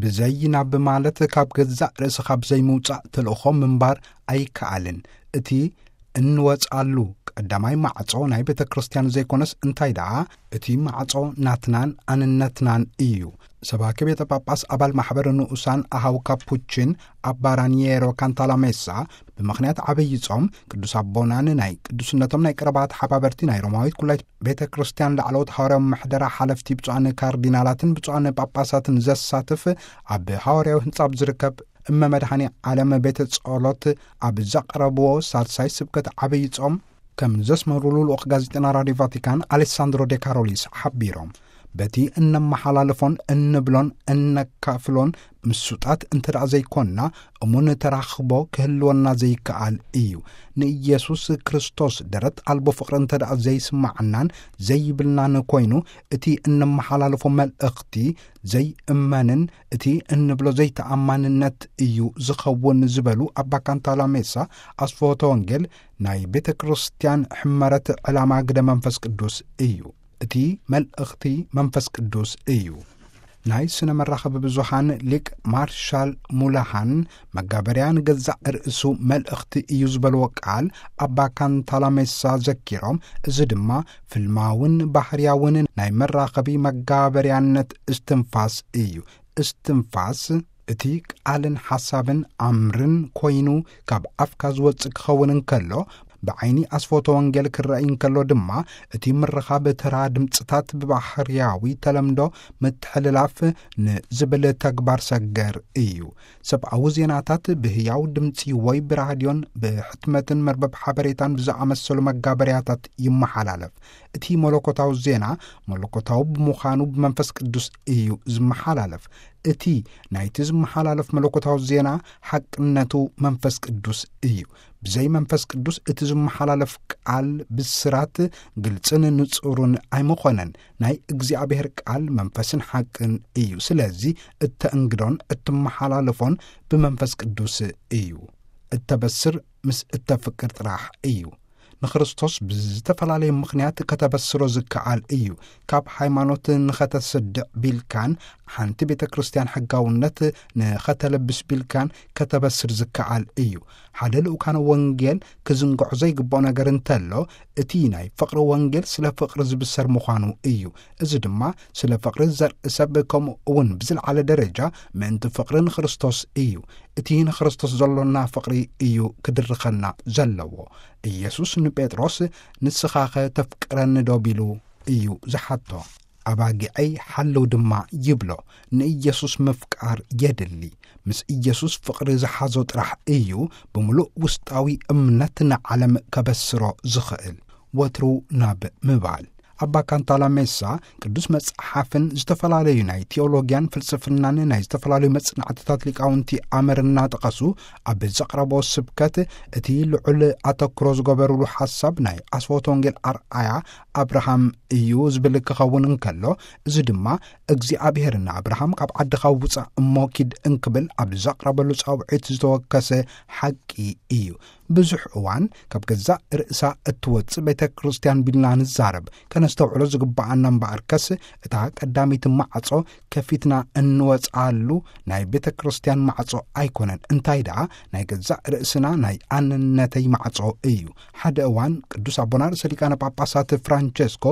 ብዘይ ናብ ማለት ካብ ገዛእ ርእስኻ ብዘይ ምውጻእ ተልእኾ ምንባር ኣይከኣልን። እቲ እንወጽኣሉ ቀዳማይ ማዕጾ ናይ ቤተ ክርስቲያን ዘይኮነስ እንታይ ደኣ እቲ ማዕጾ ናትናን ኣንነትናን እዩ። ሰባኪ ቤተ ጳጳስ ኣባል ማሕበር ንኡሳን ኣሃው ካፑችን ኣባ ራኒየሮ ካንታላሜሳ ብምኽንያት ዓብዪ ጾም ቅዱስ ኣቦናን ናይ ቅዱስነቶም ናይ ቀረባ ተሓባበርቲ ናይ ሮማዊት ኩላይት ቤተ ክርስቲያን ላዕለዎት ሃዋርያዊ ምሕደራ ሓለፍቲ ብፁዓን ካርዲናላትን ብፁዓን ጳጳሳትን ዘሳትፍ ኣብ ሃዋርያዊ ህንጻ ኣብ ዝርከብ እመ መድኃኔ ዓለም ቤተ ጸሎት ኣብ ዘቕረብዎ ሳልሳይ ስብከት ዓብዪ ጾም ከም ዘስመሩሉ ልኡኽ ጋዜጠና ራድዮ ቫቲካን ኣሌሳንድሮ ዴ ካሮሊስ ሓቢሮም፣ በቲ እነመሓላልፎን እንብሎን እነካፍሎን ምሱጣት እንተ ደኣ ዘይኮንና፣ እሙን ተራኽቦ ክህልወና ዘይከኣል እዩ። ንኢየሱስ ክርስቶስ ደረት ኣልቦ ፍቕሪ እንተ ደኣ ዘይስማዓናን ዘይብልናን ኮይኑ፣ እቲ እነመሓላልፎ መልእኽቲ ዘይእመንን እቲ እንብሎ ዘይተኣማንነት እዩ ዝኸውን ዝበሉ ኣባ ካንታላሜሳ፣ ኣስፍሆተ ወንጌል ናይ ቤተ ክርስቲያን ሕመረት ዕላማ ግደ መንፈስ ቅዱስ እዩ። እቲ መልእኽቲ መንፈስ ቅዱስ እዩ። ናይ ስነ መራኸቢ ብዙሃን ሊቅ ማርሻል ሙላሃን መጋበርያ ንገዛእ ርእሱ መልእኽቲ እዩ ዝበልዎ ቃል ኣባ ካንታላሜሳ ዘኪሮም፣ እዚ ድማ ፍልማውን ባህርያውን ናይ መራኸቢ መጋበርያነት እስትንፋስ እዩ። እስትንፋስ እቲ ቃልን ሓሳብን ኣምርን ኮይኑ ካብ ኣፍካ ዝወጽእ ክኸውን እንከሎ፣ ብዓይኒ ኣስፎቶ ወንጌል ክረኣይ እንከሎ ድማ እቲ ምርኻብ ተራ ድምጽታት ብባህርያዊ ተለምዶ ምትሕልላፍ ንዝብል ተግባር ሰገር እዩ። ሰብኣዊ ዜናታት ብህያው ድምጺ ወይ ብራድዮን ብሕትመትን መርበብ ሓበሬታን ብዝኣመሰሉ መጋበርያታት ይመሓላለፍ። እቲ መለኮታዊ ዜና መለኮታዊ ብምዃኑ ብመንፈስ ቅዱስ እዩ ዝመሓላለፍ። እቲ ናይቲ ዝመሓላለፍ መለኮታዊ ዜና ሓቅነቱ መንፈስ ቅዱስ እዩ። ብዘይ መንፈስ ቅዱስ እቲ ዝመሓላለፍ ቃል ብስራት ግልጽን ንጹርን ኣይምኾነን። ናይ እግዚኣብሔር ቃል መንፈስን ሓቅን እዩ። ስለዚ እተእንግዶን እትመሓላለፎን ብመንፈስ ቅዱስ እዩ። እተበስር ምስ እተፍቅር ጥራሕ እዩ። ንክርስቶስ ብዝተፈላለየ ምኽንያት ከተበስሮ ዝከኣል እዩ። ካብ ሃይማኖት ንኸተስድዕ ቢልካን ሓንቲ ቤተ ክርስቲያን ሕጋውነት ንኸተለብስ ቢልካን ከተበስር ዝከኣል እዩ። ሓደ ልኡካነ ወንጌል ክዝንግዖ ዘይግብኦ ነገር እንተሎ፣ እቲ ናይ ፍቕሪ ወንጌል ስለ ፍቕሪ ዝብሰር ምዃኑ እዩ። እዚ ድማ ስለ ፍቕሪ ዘርኢ ሰብ ከምኡ እውን ብዝለዓለ ደረጃ ምእንቲ ፍቕሪ ንክርስቶስ እዩ። እቲ ንክርስቶስ ዘሎና ፍቕሪ እዩ ክድርኸና ዘለዎ። ኢየሱስ ንጴጥሮስ "ንስኻኸ ተፍቅረኒ ዶ?" ቢሉ እዩ ዝሓቶ። "ኣባጊዐይ ሓልው ድማ" ይብሎ። ንኢየሱስ ምፍቃር የድሊ። ምስ ኢየሱስ ፍቕሪ ዝሓዞ ጥራሕ እዩ ብምሉእ ውስጣዊ እምነት ንዓለም ከበስሮ ዝኽእል። ወትሩ ናብ ምባል። ኣባ ካንታላሜሳ ቅዱስ መጽሓፍን ዝተፈላለዩ ናይ ቴዎሎጊያን ፍልስፍናን ናይ ዝተፈላለዩ መጽናዕትታት ሊቃውንቲ ኣመር እናጠቐሱ ኣብ ዘቕረቦ ስብከት፣ እቲ ልዑል ኣተክሮ ዝገበሩሉ ሓሳብ ናይ ኣስፎት ወንጌል ኣርኣያ ኣብርሃም እዩ ዝብል ክኸውን እንከሎ፣ እዚ ድማ እግዚኣብሔር ንኣብርሃም "ካብ ዓድኻ ውጻእ እሞ ኪድ" እንክብል ኣብ ዘቕረበሉ ጻውዒት ዝተወከሰ ሓቂ እዩ። ብዙሕ እዋን ካብ ገዛእ ርእሳ እትወጽእ ቤተ ክርስቲያን ቢልና ንዛረብ። ከነስተውዕሎ ዝግብኣና እምበኣርከስ፣ እታ ቀዳሚት ማዕጾ ከፊትና እንወጽኣሉ ናይ ቤተ ክርስቲያን ማዕጾ ኣይኮነን። እንታይ ደኣ፣ ናይ ገዛእ ርእስና ናይ ኣንነተይ ማዕጾ እዩ። ሓደ እዋን ቅዱስ ኣቦና ርእሰ ሊቃነ ጳጳሳት ፍራንቸስኮ፣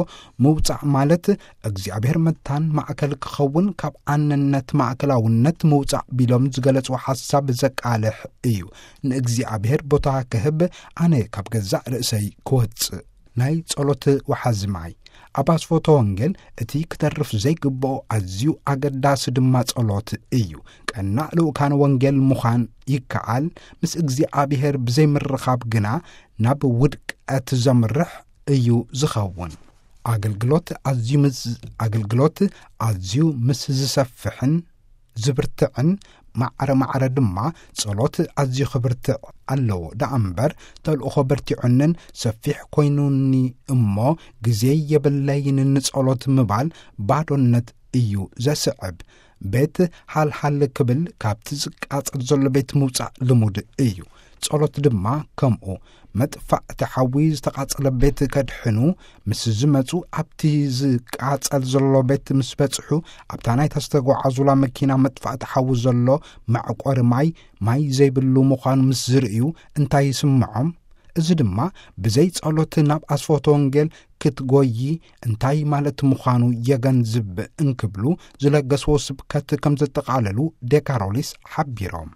"ምውጻእ ማለት እግዚኣብሔር መታን ማእከል ክኸውን፣ ካብ ኣንነት ማእከላውነት ምውጻእ" ቢሎም ዝገለጽዎ ሓሳብ ዘቃልሕ እዩ። ንእግዚኣብሔር ቦታ ክህብ፣ ኣነ ካብ ገዛእ ርእሰይ ክወጽእ። ናይ ጸሎት ወሓዚ ማይ። ኣብ ኣስፎቶ ወንጌል እቲ ክተርፍ ዘይግብኦ ኣዝዩ ኣገዳሲ ድማ ጸሎት እዩ። ቀናእ ልኡካን ወንጌል ምዃን ይከኣል፣ ምስ እግዚኣብሔር ብዘይምርኻብ ግና ናብ ውድቀት ዘምርሕ እዩ ዝኸውን። ኣገልግሎት ኣዝዩ ምስ፣ ኣገልግሎት ኣዝዩ ምስ ዝሰፍሕን ዝብርትዕን፣ ማዕረ ማዕረ ድማ ጸሎት ኣዝዩ ክብርትዕ ኣለዎ። ደኣ እምበር፣ ተልእኾ በርቲዑንን ሰፊሕ ኮይኑኒ እሞ ግዜ የብለይን ንጸሎት ምባል ባዶነት እዩ ዘስዕብ። ቤት ሃልሃል ክብል፣ ካብቲ ዝቃጸል ዘሎ ቤት ምውጻእ ልሙድ እዩ። ጸሎት ድማ ከምኡ። መጥፋእቲ ሓዊ ዝተቓጸለ ቤት ከድሕኑ ምስ ዝመጹ፣ ኣብቲ ዝቃጸል ዘሎ ቤት ምስ በጽሑ፣ ኣብታ ናይ ተስተጓዓዙላ መኪና መጥፋእቲ ሓዊ ዘሎ መዕቆሪ ማይ፣ ማይ ዘይብሉ ምዃኑ ምስ ዝርእዩ እንታይ ይስምዖም? እዚ ድማ ብዘይ ጸሎት ናብ ኣስፎቶ ወንጌል ክትጎዪ እንታይ ማለት ምዃኑ የገንዝብ እንክብሉ ዝለገስዎ ስብከት ከም ዘጠቓለሉ ዴካሮሊስ ሓቢሮም።